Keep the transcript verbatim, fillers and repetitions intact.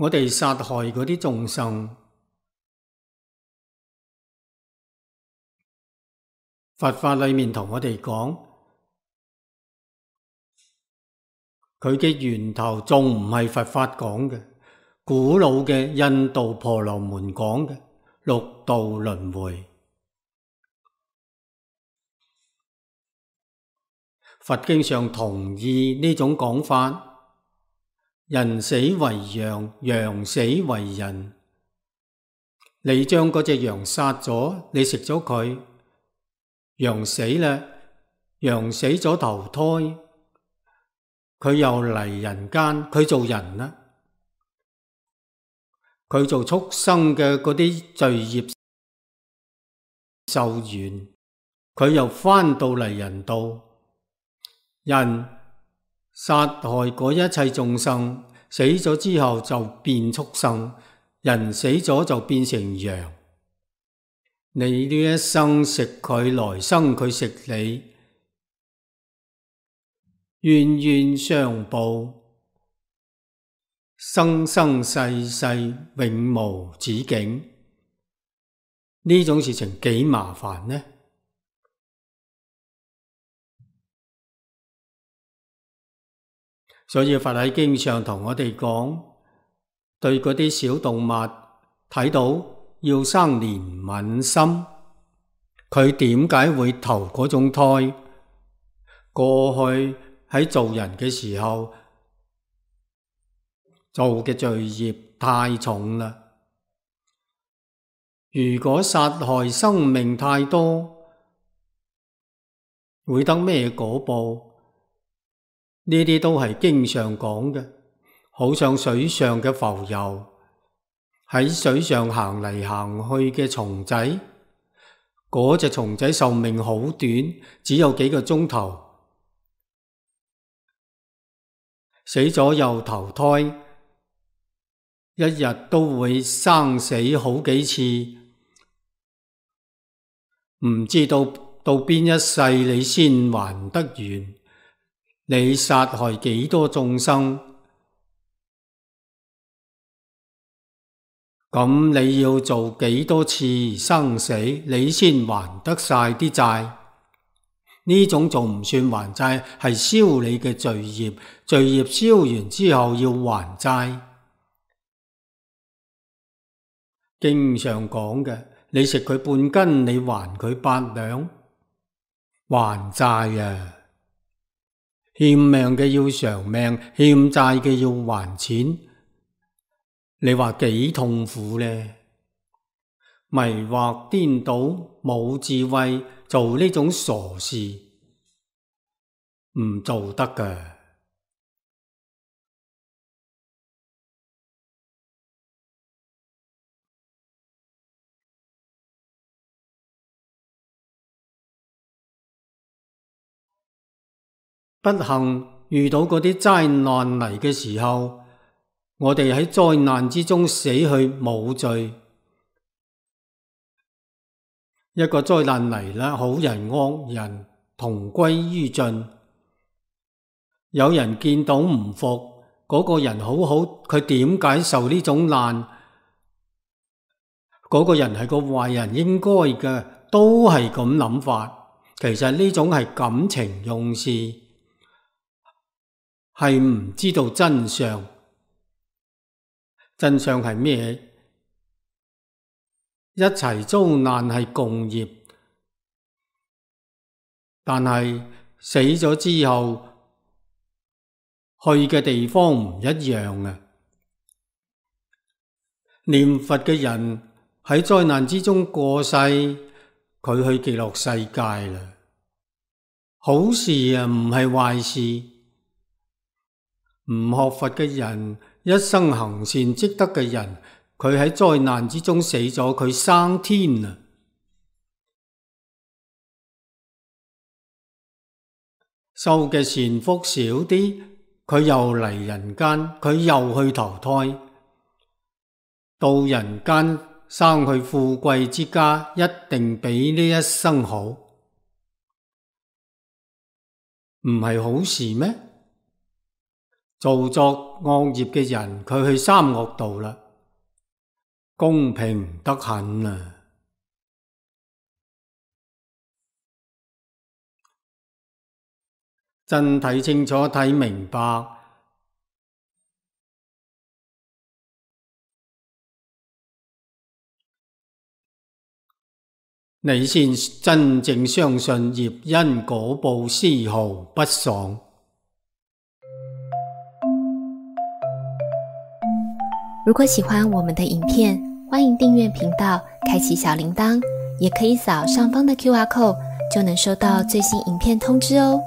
我哋殺害嗰啲眾生，佛法裏面同我哋講，佢嘅源頭仲唔係佛法講嘅，古老嘅印度婆羅門講嘅六道輪迴。佛經上同意呢種講法，人死為羊，羊死為人。你將嗰隻羊殺咗，你食咗佢，羊死啦，羊死咗投胎，佢又嚟人間，佢做人啦，佢做畜生嘅嗰啲罪業受完，佢又返到嚟人道。人殺害嗰一切眾生，死咗之後就變畜生，人死咗就變成羊。你呢一生食佢，來生佢食你，冤冤相報，生生世世永無止境。呢種事情幾麻煩呢？所以佛喺經上同我哋講，對嗰啲小動物睇到要生憐憫心，佢點解會投嗰種胎？過去喺做人嘅時候做嘅罪業太重啦。如果殺害生命太多，會得咩果報？呢啲都係經上講嘅，好像水上嘅浮游，喺水上行嚟行去嘅蟲仔，嗰隻蟲仔壽命好短，只有幾個鐘頭，死咗又投胎，一日都會生死好幾次，唔知道到邊一世你先還得完。你殺害幾多眾生，咁你要做幾多次生死，你先還得晒啲債？呢種仲唔算還債，係消你嘅罪業，罪業消完之後要還債。經上講嘅，你食佢半斤，你還佢八兩，還債啊！欠命嘅要償命，欠債嘅要還錢，你話幾痛苦呢？迷惑顛倒，冇智慧，做呢種傻事，唔做得㗎。不幸遇到嗰啲災難嚟嘅時候，我哋喺災難之中死去冇罪。一個災難嚟啦，好人惡人同歸於盡。有人見到唔服，嗰個人好好，佢點解受呢種難？嗰個人係個壞人，應該嘅，都係咁諗法。其實呢種係感情用事，係唔知道真相。真相係咩？一齊遭難係共業，但係死咗之後去嘅地方唔一樣啊！念佛嘅人喺災難之中過世，佢去極樂世界啦。好事啊，唔係壞事。唔學佛嘅人，一生行善積德嘅人，佢喺災難之中死咗，佢生天啊！受嘅善福少啲，佢又嚟人間，佢又去投胎，到人間生去富貴之家，一定比呢一生好，唔係好事咩？做作惡業嘅人，佢去三惡道啦，公平得很啊！真睇清楚睇明白，你先真正相信業因果報絲毫不爽。如果喜欢我们的影片，欢迎订阅频道，开启小铃铛，也可以扫上方的 Q R code，就能收到最新影片通知哦。